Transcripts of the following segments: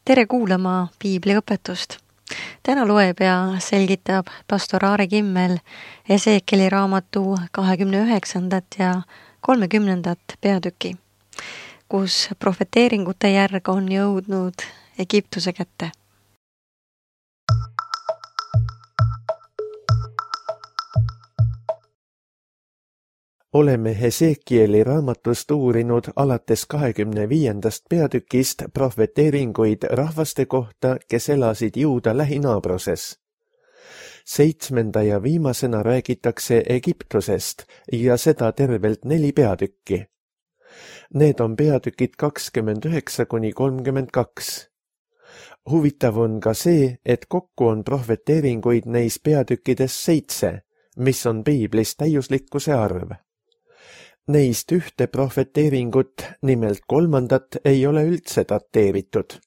Tere kuulama piibliõpetust. Täna loeb ja selgitab pastor Aare Kimmel Esekieli raamatu 29. ja 30. peatüki, kus profeteeringute järg on jõudnud Egiptuse kätte. Oleme Esekieli raamatust uurinud alates 25. peatükist profeteeringuid rahvaste kohta, kes elasid Juuda lähinaabroses. 7. ja viimasena räägitakse Egiptusest ja seda tervelt 4 peatükki. Need on peatükid 29–32. Huvitav on ka see, et kokku on profeteeringuid neis peatükkides 7, mis on piiblis täiuslikkuse arv. Neist ühte profeteeringut, nimelt 3. ei ole üldse dateeritud.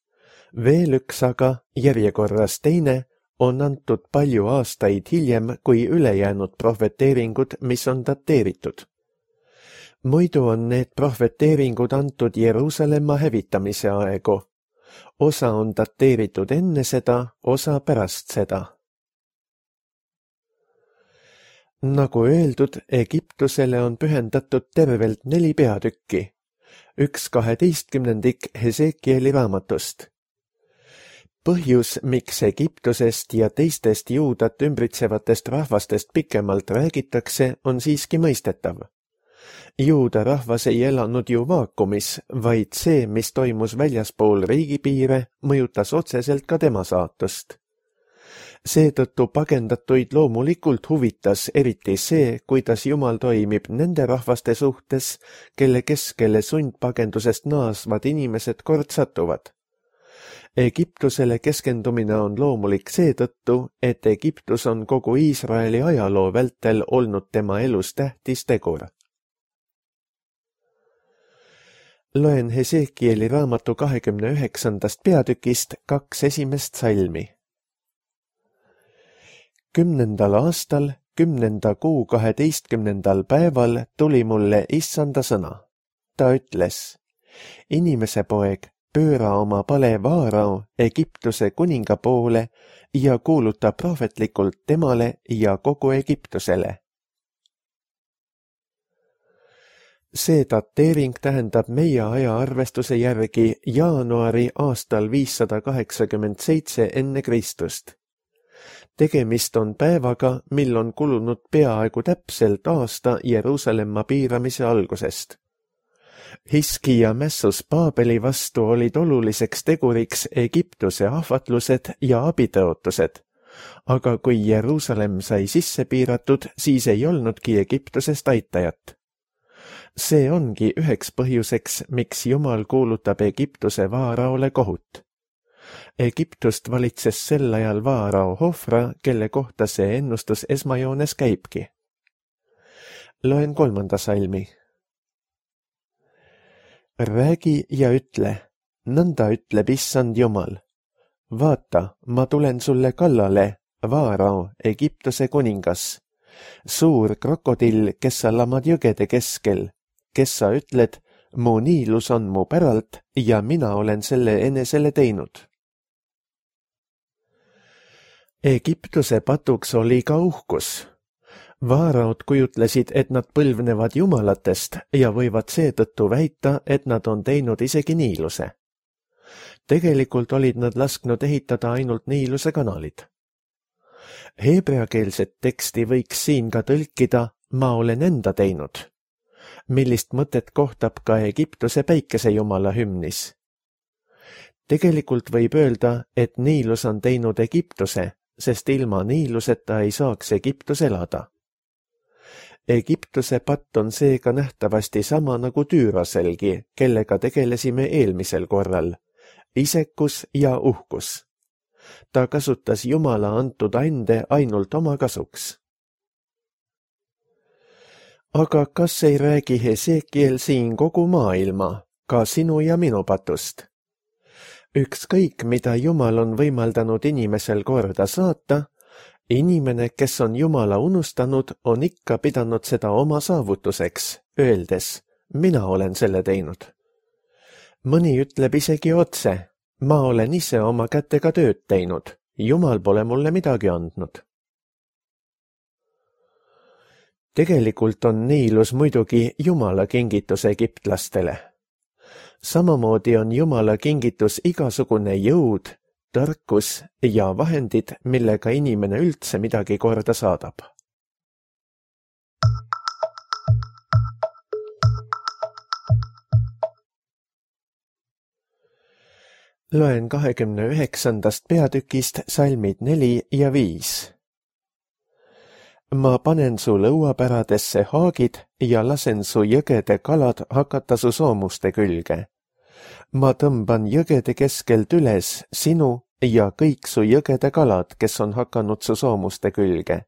Veel üks aga, järjekorras teine, on antud palju aastaid hiljem kui ülejäänud profeteeringud, mis on dateeritud. Muidu on need profeteeringud antud Jeruusalemma hävitamise aegu. Osa on dateeritud enne seda, osa pärast seda. Nagu öeldud, Egiptusele on pühendatud tervelt 4 peatükki, 1/12 Esekieli raamatust. Põhjus, miks Egiptusest ja teistest Juudat ümbritsevatest rahvastest pikemalt räägitakse, on siiski mõistetav. Juuda rahvas ei elanud ju vaakumis, vaid see, mis toimus väljaspool riigipiire, mõjutas otseselt ka tema saatust. Seetõttu pagendatuid loomulikult huvitas eriti see, kuidas Jumal toimib nende rahvaste suhtes, kelle keskele sundpagendusest naasvad inimesed kord satuvad. Egiptusele keskendumine on loomulik seetõttu, et Egiptus on kogu Iisraeli ajaloo vältel olnud tema elus tähtis tegur. Loen Esekieli raamatu 29. peatükist 2 esimest salmi. 10. aastal, 10. kuu 12. päeval tuli mulle issanda sõna. Ta ütles, inimese poeg, pööra oma pale Vaarao, Egiptuse kuninga poole ja kuuluta prohvetlikult temale ja kogu Egiptusele. See dateering tähendab meie ajaarvestuse järgi jaanuari aastal 587 enne Kristust. Tegemist on päevaga, mil on kulunud peaaegu täpselt aasta Jeruusalemma piiramise algusest. Hiskija mässus Paabeli vastu olid oluliseks teguriks Egiptuse ahvatlused ja abitõotused, aga kui Jeruusalemm sai sisse piiratud, siis ei olnudki Egiptusest aitajat. See ongi üheks põhjuseks, miks Jumal kuulutab Egiptuse Vaaraole kohut. Egiptust valitses sel ajal Vaarao Hofra, kelle kohta see ennustus esmajoones käibki. Loen 3. salmi. Räägi ja ütle, nõnda ütleb issand Jumal. Vaata, ma tulen sulle kallale, Vaarao, Egiptuse kuningas. Suur krokodill, kes sa lamad jõgede keskel, kes sa ütled, mu niilus on mu päralt ja mina olen selle enesele teinud. Egiptuse patuks oli ka uhkus. Vaaraod kujutlesid, et nad põlvnevad jumalatest ja võivad seetõttu väita, et nad on teinud isegi niiluse. Tegelikult olid nad lasknud ehitada ainult niiluse kanalid. Heebreakeelset teksti võiks siin ka tõlkida, ma olen enda teinud, millist mõtet kohtab ka Egiptuse päikesejumala hümnis. Tegelikult võib öelda, et niilus on teinud Egiptuse, sest ilma niiluseta ei saaks Egiptus elada. Egiptuse patt on seega nähtavasti sama nagu Tüüraselgi, kellega tegelesime eelmisel korral, isekus ja uhkus. Ta kasutas Jumala antud ande ainult oma kasuks. Aga kas ei räägi Esekiel siin kogu maailma, ka sinu ja minu patust? Ükskõik, mida Jumal on võimaldanud inimesel korda saata, inimene, kes on Jumala unustanud, on ikka pidanud seda oma saavutuseks, öeldes, mina olen selle teinud. Mõni ütleb isegi otse, ma olen ise oma kätega tööd teinud, Jumal pole mulle midagi andnud. Tegelikult on Niilus muidugi Jumala kingitus egiptlastele. Samamoodi on Jumala kingitus igasugune jõud, tarkus ja vahendid, millega inimene üldse midagi korda saadab. Loen 29. peatükist salmid 4 ja 5. Ma panen su lõuapäradesse haagid ja lasen su jõgede kalad hakata su soomuste külge. Ma tõmban jõgede keskelt üles sinu ja kõik su jõgede kalad, kes on hakanud su soomuste külge.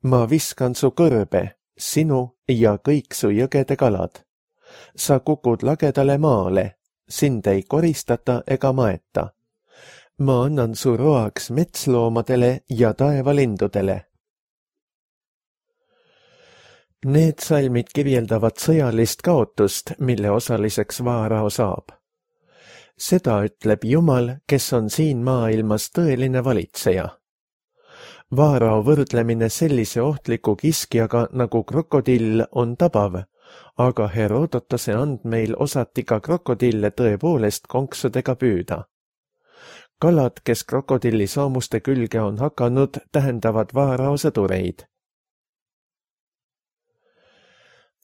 Ma viskan su kõrbe, sinu ja kõik su jõgede kalad. Sa kukud lagedale maale, sind ei koristata ega maeta. Ma annan su roaks metsloomadele ja taevalindudele. Need salmid kirjeldavad sõjalist kaotust, mille osaliseks Vaarao saab. Seda ütleb Jumal, kes on siin maailmas tõeline valitseja. Vaarao võrdlemine sellise ohtliku kiskjaga nagu krokodill on tabav, aga Herodotose andmeil osati ka krokodille tõepoolest konksudega püüda. Kalad, kes krokodilli soomuste külge on hakanud, tähendavad Vaarao sõdureid.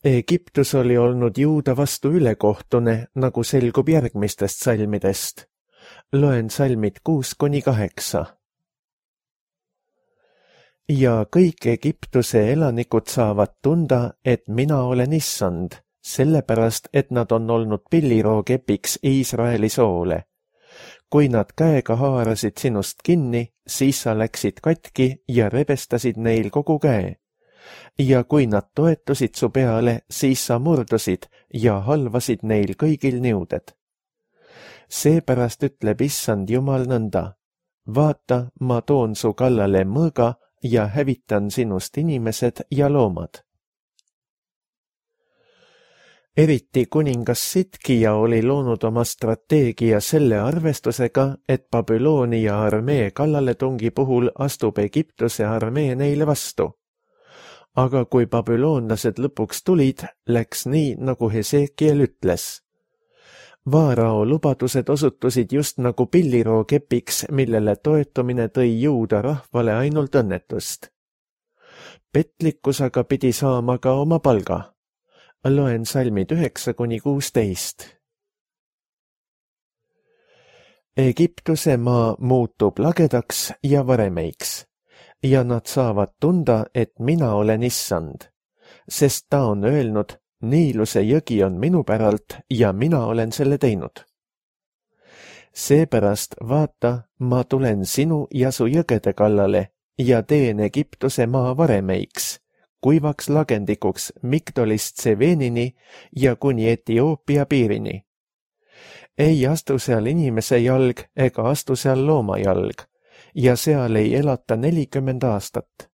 Egiptus oli olnud Juuda vastu ülekohtune, nagu selgub järgmistest salmidest. Loen salmid 6-8. Ja kõik Egiptuse elanikud saavad tunda, et mina olen issand, sellepärast, et nad on olnud pillirookepiks Iisraeli soole. Kui nad käega haarasid sinust kinni, siis sa läksid katki ja rebestasid neil kogu käe. Ja kui nad toetusid su peale, siis sa murdusid ja halvasid neil kõigil niuded. Seepärast ütleb issand Jumal nõnda. Vaata, ma toon su kallale mõõga ja hävitan sinust inimesed ja loomad. Eriti kuningas Sitkija oli loonud oma strateegia selle arvestusega, et Babyloonia armee kallaletungi puhul astub Egiptuse armee neile vastu. Aga kui babüloonlased lõpuks tulid, läks nii, nagu Hesekiel ütles. Vaarao lubadused osutusid just nagu pillirookepiks, millele toetumine tõi Juuda rahvale ainult õnnetust. Petlikkus aga pidi saama ka oma palga. Loen salmid 9-16. Egiptuse maa muutub lagedaks ja varemeiks. Ja nad saavad tunda, et mina olen issand, sest ta on öelnud, Niiluse jõgi on minu päralt ja mina olen selle teinud. Seepärast vaata, ma tulen sinu ja su jõgede kallale ja teen Egiptuse maa varemeiks, kuivaks lagendikuks Migdolist Tseveenini ja kuni Etioopia piirini. Ei astu seal inimese jalg ega astu seal looma jalg. Ja seal ei elata 40 aastat.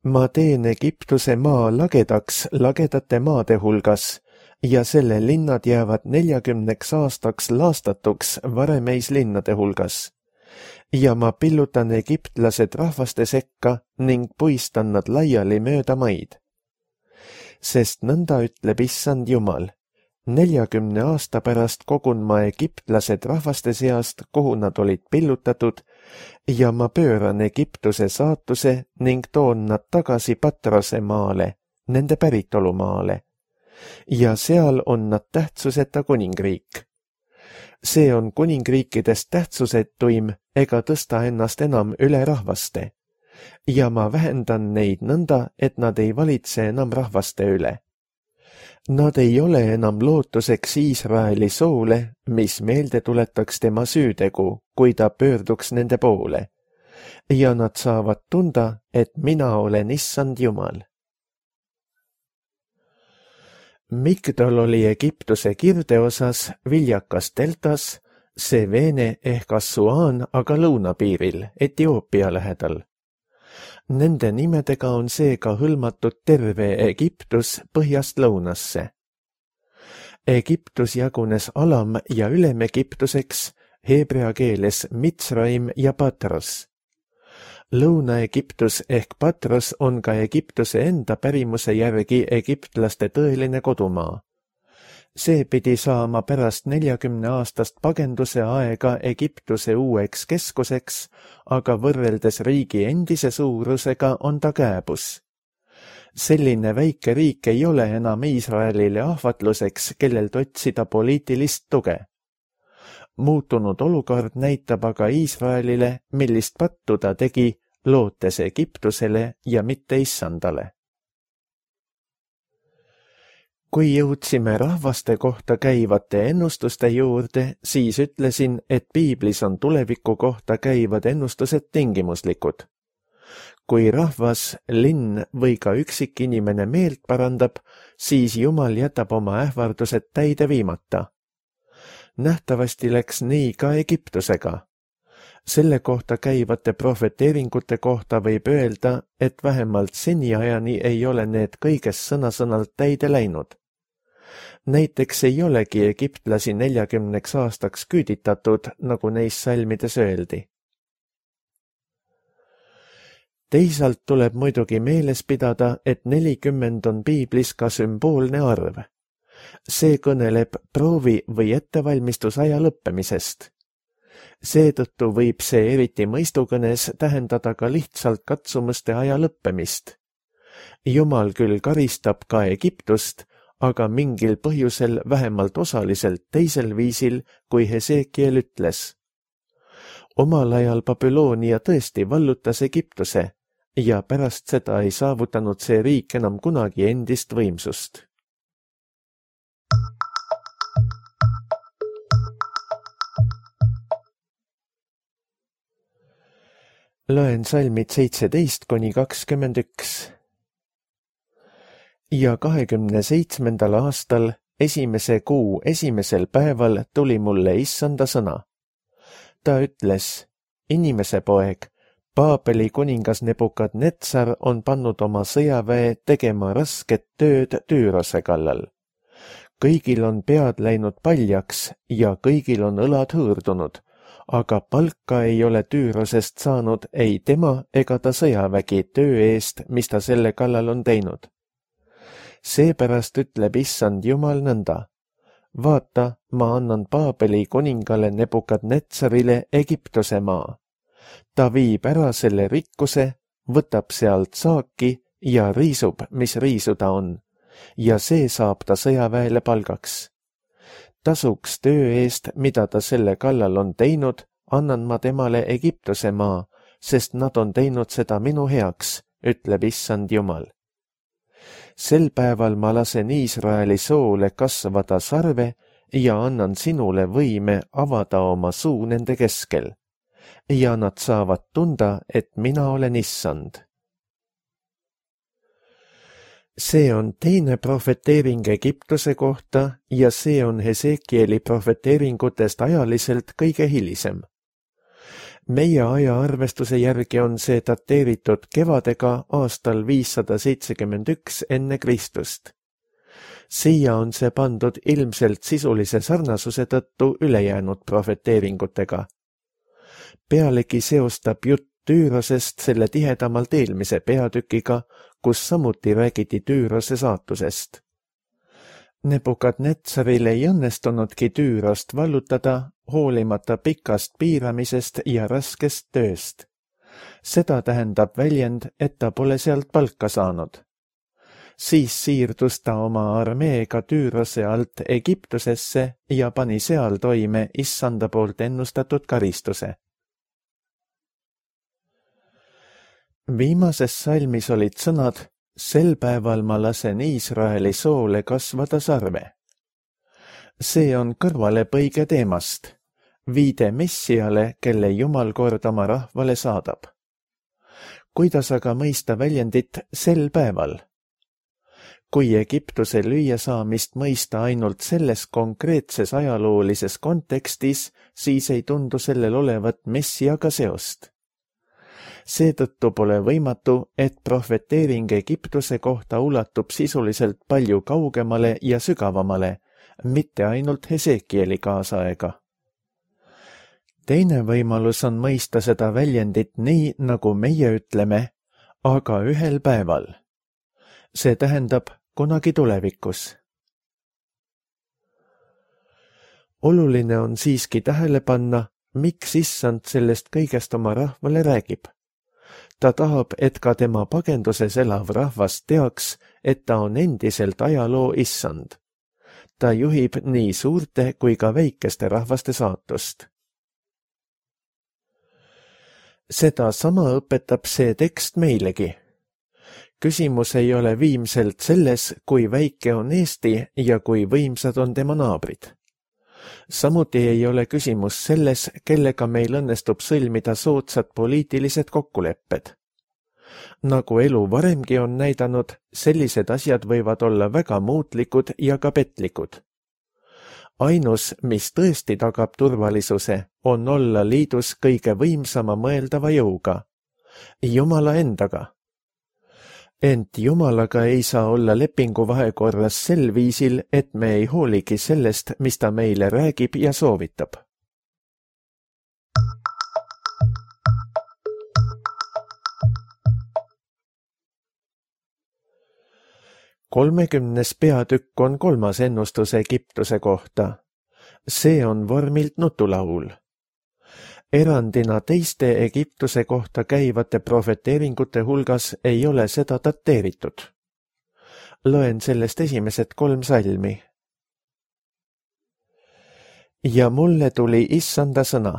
Ma teen Egiptuse maa lagedaks lagedate maade hulgas ja selle linnad jäävad 40 aastaks laastatuks varemeis linnade hulgas. Ja ma pillutan egiptlased rahvaste sekka ning puistan nad laiali mööda maid. Sest nõnda ütleb issand Jumal. 40 aasta pärast kogun ma egiptlased rahvaste seast, kuhu nad olid pillutatud, ja ma pööran Egiptuse saatuse ning toon nad tagasi Patrose maale, nende päritolumaale. Ja seal on nad tähtsuseta kuningriik. See on kuningriikidest tähtsusetuim ega tõsta ennast enam üle rahvaste. Ja ma vähendan neid nõnda, et nad ei valitse enam rahvaste üle. Nad ei ole enam lootuseks Iisraeli soole, mis meelde tuletaks tema süütegu, kui ta pöörduks nende poole. Ja nad saavad tunda, et mina olen issand Jumal. Migdol oli Egiptuse kirdeosas, viljakas deltas, Seveene ehk Assuaan aga lõunapiiril, Etioopia lähedal. Nende nimedega on seega hõlmatud terve Egiptus põhjast lõunasse. Egiptus jagunes Alam- ja Ülem-Egiptuseks, heebrea keeles Mitsraim ja Patros. Lõuna-Egiptus ehk Patros on ka Egiptuse enda pärimuse järgi egiptlaste tõeline kodumaa. See pidi saama pärast 40-aastast pagenduse aega Egiptuse uueks keskuseks, aga võrreldes riigi endise suurusega on ta kääbus. Selline väike riik ei ole enam Iisraelile ahvatluseks, kellelt otsida poliitilist tuge. Muutunud olukord näitab aga Iisraelile, millist pattu ta tegi, lootes Egiptusele ja mitte issandale. Kui jõudsime rahvaste kohta käivate ennustuste juurde, siis ütlesin, et piiblis on tuleviku kohta käivad ennustused tingimuslikud. Kui rahvas, linn või ka üksikinimene meelt parandab, siis Jumal jätab oma ähvardused täide viimata. Nähtavasti läks nii ka Egiptusega. Selle kohta käivate prohveteeringute kohta võib öelda, et vähemalt seniajani ei ole need kõigest sõna-sõnalt täide läinud. Näiteks ei olegi egiptlasi 40 aastaks küüditatud, nagu neis salmides öeldi. Teisalt tuleb muidugi meeles pidada, et 40 on piiblis ka sümboolne arv. See kõneleb proovi või ettevalmistusaja lõppemisest. Seetõttu võib see eriti mõistukõnes tähendada ka lihtsalt katsumuste aja lõppemist. Jumal küll karistab ka Egiptust, aga mingil põhjusel vähemalt osaliselt teisel viisil, kui Hesekiel ütles. Omal ajal Babyloonia tõesti vallutas Egiptuse ja pärast seda ei saavutanud see riik enam kunagi endist võimsust. Loen salmid 17–21. Ja 27. aastal, esimese kuu esimesel päeval tuli mulle issanda sõna. Ta ütles, inimese poeg, Paabeli kuningas Nebukadnetsar on pannud oma sõjaväe tegema rasket tööd Tüürose kallal. Kõigil on pead läinud paljaks ja kõigil on õlad hõõrdunud, aga palka ei ole Tüürosest saanud ei tema ega ta sõjavägi töö eest, mis ta selle kallal on teinud. Seepärast ütleb issand Jumal nõnda. Vaata, ma annan Paabeli kuningale Nebukadnetsarile Egiptuse maa. Ta viib ära selle rikkuse, võtab sealt saaki ja riisub, mis riisuda on, ja see saab ta sõjaväele palgaks. Tasuks töö eest, mida ta selle kallal on teinud, annan ma temale Egiptuse maa, sest nad on teinud seda minu heaks, ütleb issand Jumal. Sel päeval ma lasen Iisraeli soole kasvada sarve ja annan sinule võime avada oma suu nende keskel. Ja nad saavad tunda, et mina olen issand. See on teine prohveteering Egiptuse kohta ja see on Hesekieli prohveteeringutest ajaliselt kõige hilisem. Meie ajaarvestuse järgi on see dateeritud kevadega aastal 571 enne Kristust. Siia on see pandud ilmselt sisulise sarnasuse tõttu ülejäänud prohveteeringutega. Pealegi seostab jutt Tüürosest selle tihedamalt eelmise peatükiga, kus samuti räägiti Tüürose saatusest. Nebukadnetsaril ei õnnestunudki Tüürost vallutada, hoolimata pikast piiramisest ja raskest tööst. Seda tähendab väljend, et ta pole sealt palka saanud. Siis siirdus ta oma armeega Tüürose alt Egiptusesse ja pani seal toime issanda poolt ennustatud karistuse. Viimases salmis olid sõnad, sel päeval ma lasen Iisraeli soole kasvada sarve. See on kõrvalepõige teemast, viide Messiale, kelle Jumal kord oma rahvale saadab. Kuidas aga mõista väljendit sel päeval? Kui Egiptuse lüüasaamist mõista ainult selles konkreetses ajaloolises kontekstis, siis ei tundu sellel olevat Messiaga seost. Seetõttu pole võimatu, et prohveteering Egiptuse kohta ulatub sisuliselt palju kaugemale ja sügavamale, mitte ainult Hesekieli kaasaega. Teine võimalus on mõista seda väljendit nii, nagu meie ütleme, aga ühel päeval. See tähendab kunagi tulevikus. Oluline on siiski tähele panna, miks issand sellest kõigest oma rahvale räägib. Ta tahab, et ka tema pagenduses elav rahvas teaks, et ta on endiselt ajaloo issand. Ta juhib nii suurte kui ka väikeste rahvaste saatust. Seda sama õpetab see tekst meilegi. Küsimus ei ole viimselt selles, kui väike on Eesti ja kui võimsad on tema naabrid. Samuti ei ole küsimus selles, kellega meil õnnestub sõlmida soodsad poliitilised kokkulepped. Nagu elu varemgi on näidanud, sellised asjad võivad olla väga muutlikud ja ka petlikud. Ainus, mis tõesti tagab turvalisuse, on olla liidus kõige võimsama mõeldava jõuga, Jumala endaga. Ent Jumalaga ei saa olla lepingu vahekorras sel viisil, et me ei hooligi sellest, mis ta meile räägib ja soovitab. Kolmekümnes peatükk on 3. ennustus Egiptuse kohta. See on vormilt nutulaul. Erandina teiste Egiptuse kohta käivate profeteeringute hulgas ei ole seda dateeritud. Loen sellest esimesed 3 salmi. Ja mulle tuli issanda sõna.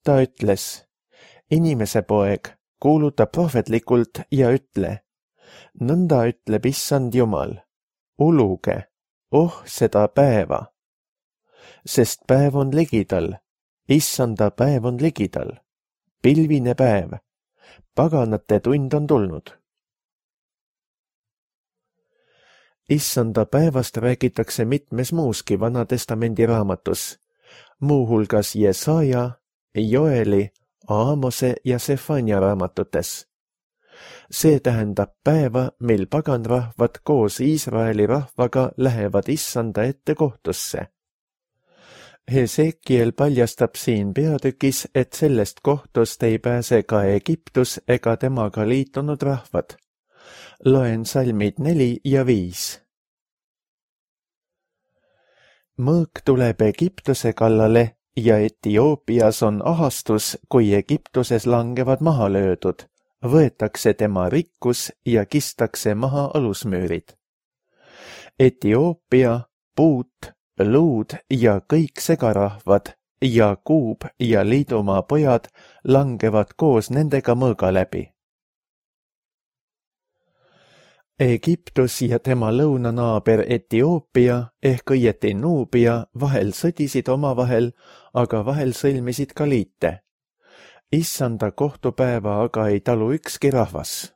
Ta ütles, inimese poeg, kuuluta prohvetlikult ja ütle, nõnda ütleb issand Jumal, uluge, seda päeva, sest päev on ligidal. Issanda päev on ligidal, pilvine päev, paganate tund on tulnud. Issanda päevast räägitakse mitmes muuski Vanatestamendi raamatus, muuhulgas Jesaja, Joeli, Aamose ja Sefania raamatutes. See tähendab päeva, mil paganrahvad koos Iisraeli rahvaga lähevad issanda ette kohtusse. Hesekiel paljastab siin peatükis, et sellest kohtust ei pääse ka Egiptus ega temaga liitunud rahvad. Loen salmid 4 ja 5. Mõõk tuleb Egiptuse kallale ja Etioopias on ahastus, kui Egiptuses langevad maha löödud, võetakse tema rikkus ja kistakse maha alusmüürid. Etioopia, Puut, Luud ja kõik segarahvad ja Kuub ja Liidumaa pojad langevad koos nendega mõõga läbi. Egiptus ja tema lõunanaaber Etioopia ehk õieti Nuubia vahel sõdisid omavahel, aga vahel sõlmisid ka liite. Issanda kohtupäeva aga ei talu ükski rahvas.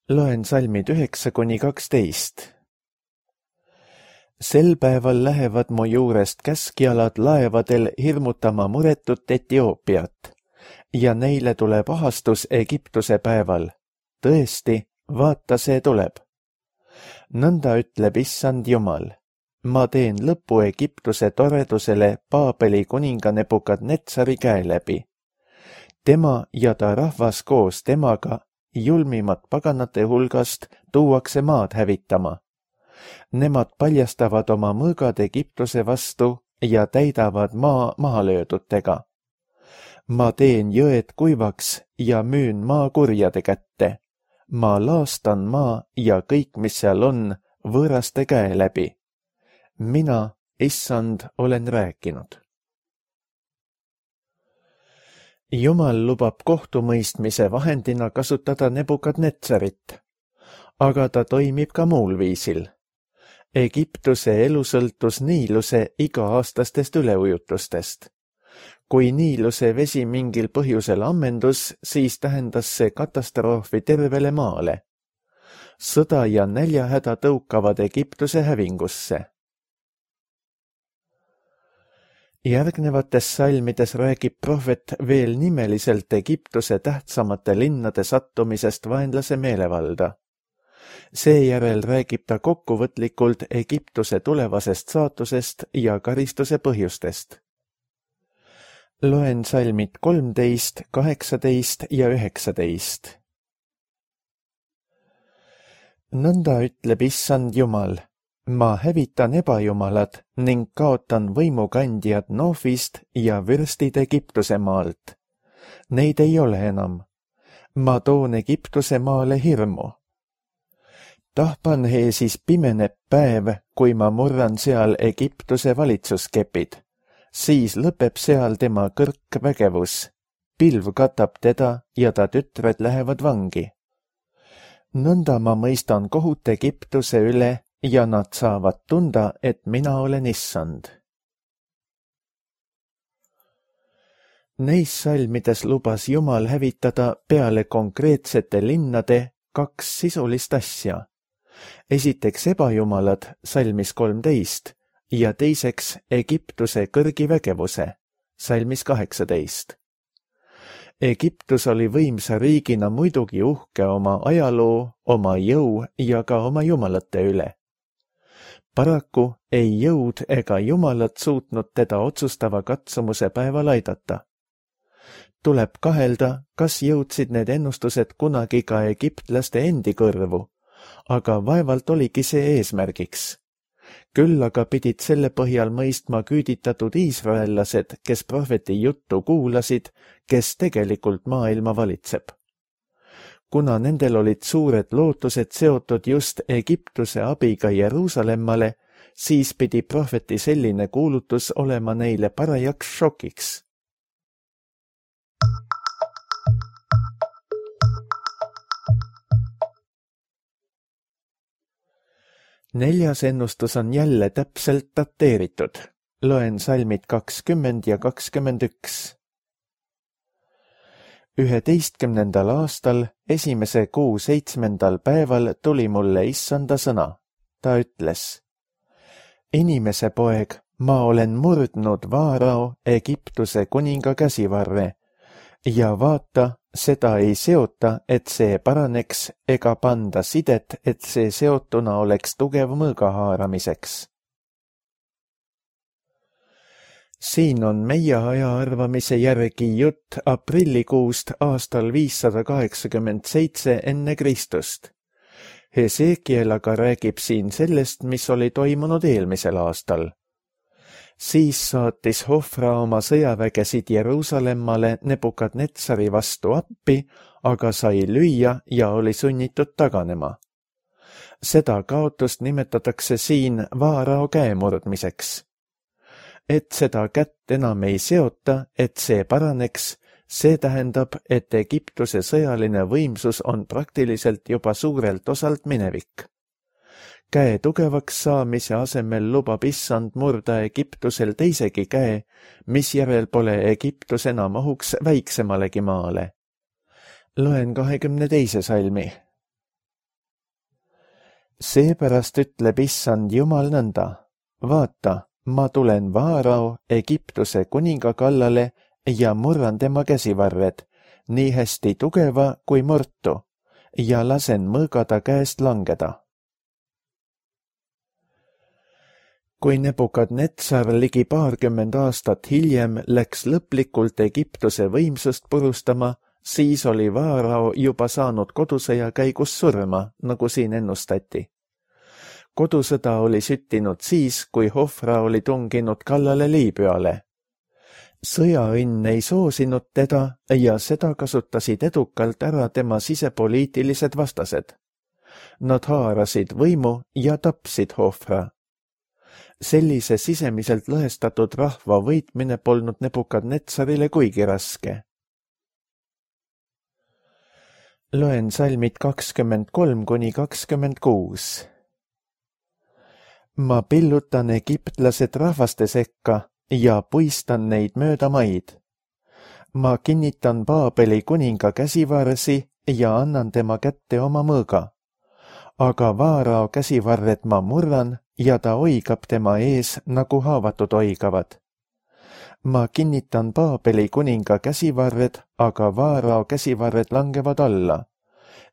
Loen salmid 9-12. Sel päeval lähevad mu juurest käskjalad laevadel hirmutama muretut Etioopiat ja neile tuleb ahastus Egiptuse päeval. Tõesti, vaata, see tuleb. Nõnda ütleb issand Jumal. Ma teen lõpu Egiptuse toredusele Paabeli kuninga Nebukadnetsari käe läbi. Tema ja ta rahvas koos temaga, julmimat paganate hulgast, tuuakse maad hävitama. Nemad paljastavad oma mõõgad Egiptuse vastu ja täidavad maa mahalöödutega. Ma teen jõed kuivaks ja müün maa kurjade kätte. Ma laastan maa ja kõik, mis seal on, võõraste käe läbi. Mina, issand, olen rääkinud. Jumal lubab kohtumõistmise vahendina kasutada Nebukadnetsarit, aga ta toimib ka muul viisil. Egiptuse elu sõltus Niiluse iga-aastastest üleujutustest. Kui Niiluse vesi mingil põhjusel ammendus, siis tähendas see katastroofi tervele maale. Sõda ja näljahäda tõukavad Egiptuse hävingusse. Järgnevates salmides räägib prohvet veel nimeliselt Egiptuse tähtsamate linnade sattumisest vaenlase meelevalda. Seejärel räägib ta kokkuvõtlikult Egiptuse tulevasest saatusest ja karistuse põhjustest. Loen salmid 13, 18 ja 19. Nõnda ütleb Issand Jumal, ma hävitan ebajumalad ning kaotan võimukandjad Noofist ja vürstid Egiptuse maalt. Neid ei ole enam. Ma toon Egiptuse maale hirmu. Tahpanheesis pimeneb päev, kui ma murran seal Egiptuse valitsuskepid. Siis lõpeb seal tema kõrk vägevus. Pilv katab teda ja ta tütred lähevad vangi. Nõnda ma mõistan kohut Egiptuse üle ja nad saavad tunda, et mina olen Issand. Neis salmides lubas Jumal hävitada peale konkreetsete linnade 2 sisulist asja. Esiteks ebajumalad, salmis 13, ja teiseks Egiptuse kõrgivägevuse, salmis 18. Egiptus oli võimsa riigina muidugi uhke oma ajaloo, oma jõu ja ka oma jumalate üle. Paraku ei jõud ega jumalad suutnud teda otsustava katsumuse päeval aidata. Tuleb kahelda, kas jõudsid need ennustused kunagi ka egiptlaste endi kõrvu, aga vaevalt oligi see eesmärgiks. Küll aga pidid selle põhjal mõistma küüditatud iisraellased, kes prohveti juttu kuulasid, kes tegelikult maailma valitseb. Kuna nendel olid suured lootused seotud just Egiptuse abiga Jeruusalemmale, siis pidi prohveti selline kuulutus olema neile parajaks šokiks. Neljas ennustus on jälle täpselt dateeritud. Loen salmid 20 ja 21. 11. aastal, 1. kuu 7. päeval tuli mulle Issanda sõna. Ta ütles, inimese poeg, ma olen murdnud Vaarao, Egiptuse kuninga käsivarre ja vaata, seda ei seota, et see paraneks, ega panda sidet, et see seotuna oleks tugev mõõga haaramiseks. Siin on meie aja arvamise järgi jutt aprillikuust aastal 587 enne Kristust. Hesekiel aga räägib siin sellest, mis oli toimunud eelmisel aastal. Siis saatis Hofra oma sõjavägesid Jeruusalemmale Nebukadnetsari vastu appi, aga sai lüüa ja oli sunnitud taganema. Seda kaotust nimetatakse siin Vaarao käemurdmiseks. Et seda kätt enam ei seota, et see paraneks, see tähendab, et Egiptuse sõjaline võimsus on praktiliselt juba suurelt osalt minevik. Käe tugevaks saamise asemel lubab Issand murda Egiptusel teisegi käe, misjärel pole Egiptus enam ohuks väiksemalegi maale. Loen 22. salmi. Seepärast ütleb Issand Jumal nõnda, vaata, ma tulen Vaarao, Egiptuse kuninga kallale ja murran tema käsivarred, nii hästi tugeva kui murtu, ja lasen mõõgada käest langeda. Kui Nebukadnetsar ligi 20 aastat hiljem läks lõplikult Egiptuse võimsust purustama, siis oli Vaarao juba saanud kodusõja käigus surma, nagu siin ennustati. Kodusõda oli süttinud siis, kui Hofra oli tunginud kallale Liibüale. Sõjaõnn ei soosinud teda ja seda kasutasid edukalt ära tema sisepoliitilised vastased. Nad haarasid võimu ja tapsid Hofra. Sellise sisemiselt lõhestatud rahva võitmine polnud Nebukadnetsarile kuigi raske. Loen salmid 23 kuni 26. Ma pillutan egiptlased rahvaste sekka ja puistan neid mööda maid. Ma kinnitan Baabeli kuninga käsivarsi ja annan tema kätte oma mõõga. Aga Vaarao käsivarred ma murran ja ta oigab tema ees, nagu haavatud oigavad. Ma kinnitan Baabeli kuninga käsivarred, aga Vaarao käsivarred langevad alla.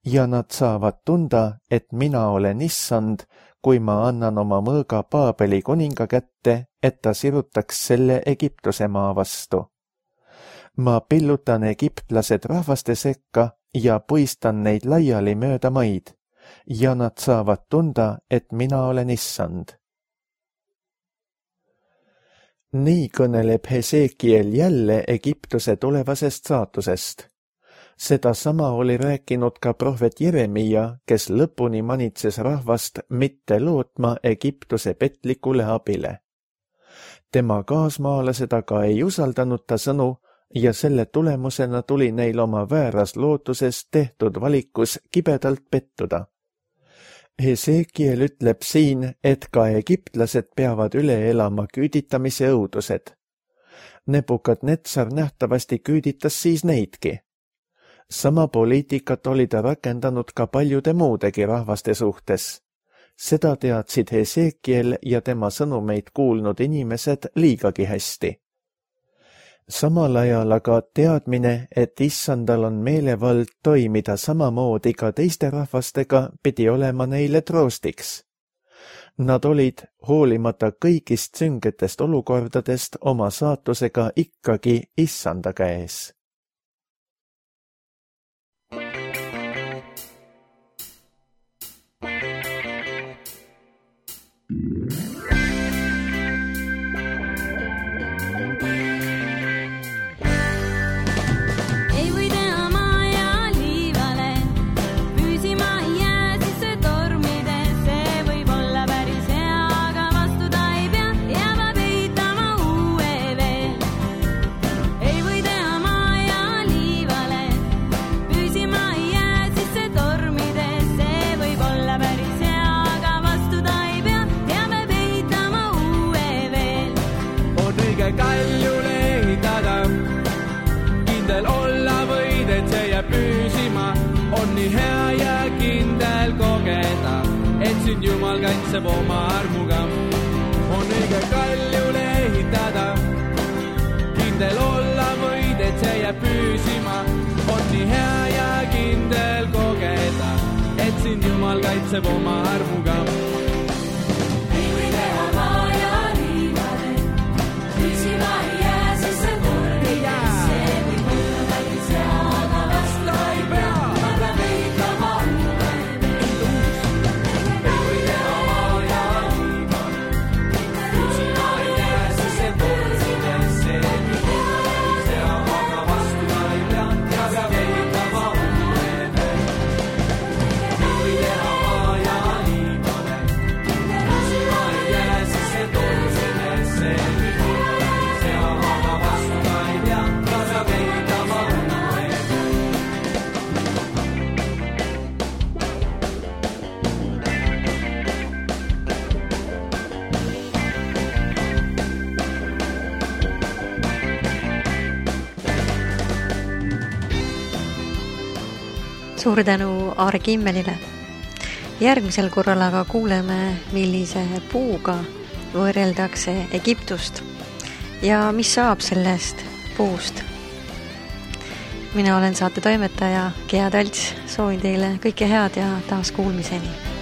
ja nad saavad tunda, et mina olen issand, kui ma annan oma mõõga Paabeli kuninga kätte, et ta sirutaks selle Egiptuse maa vastu. Ma pillutan egiptlased rahvaste sekka ja puistan neid laiali mööda maid, ja nad saavad tunda, et mina olen issand. Nii kõneleb Hesekiel jälle Egiptuse tulevasest saatusest. Seda sama oli rääkinud ka prohvet Jeremia, kes lõpuni manitses rahvast mitte lootma Egiptuse petlikule abile. Tema kaasmaalased aga ei usaldanud ta sõnu ja selle tulemusena tuli neil oma vääras lootuses tehtud valikus kibedalt pettuda. Hesekiel ütleb siin, et ka egiptlased peavad üle elama küüditamise õudused. Nebukadnetsar nähtavasti küüditas siis neidki. Sama poliitikat oli ta rakendanud ka paljude muudegi rahvaste suhtes. Seda teadsid Hesekiel ja tema sõnumeid kuulnud inimesed liigagi hästi. Samal ajal aga teadmine, et issandal on meelevald toimida samamoodi ka teiste rahvastega, pidi olema neile troostiks. Nad olid, hoolimata kõigist süngetest olukordadest, oma saatusega ikkagi issanda käes. Jumal kaitseb oma armuga, on õige kaljule ehitada. Kindel olla võid, et see jääb püsima, on nii hea ja kindel kogeda, et sind Jumal kaitseb oma armuga. Ei või teha maa ja liivale, püsima ei jää, siis see kord ei jää. See võib olla päris hea, aga vastu ei pea. Suur tänu Aare Kimmelile. Järgmisel korral aga kuuleme, millise puuga võrreldakse Egiptust ja mis saab sellest puust. Mina olen saate toimetaja Gea Talts, soovin teile kõike head ja taas kuulmiseni.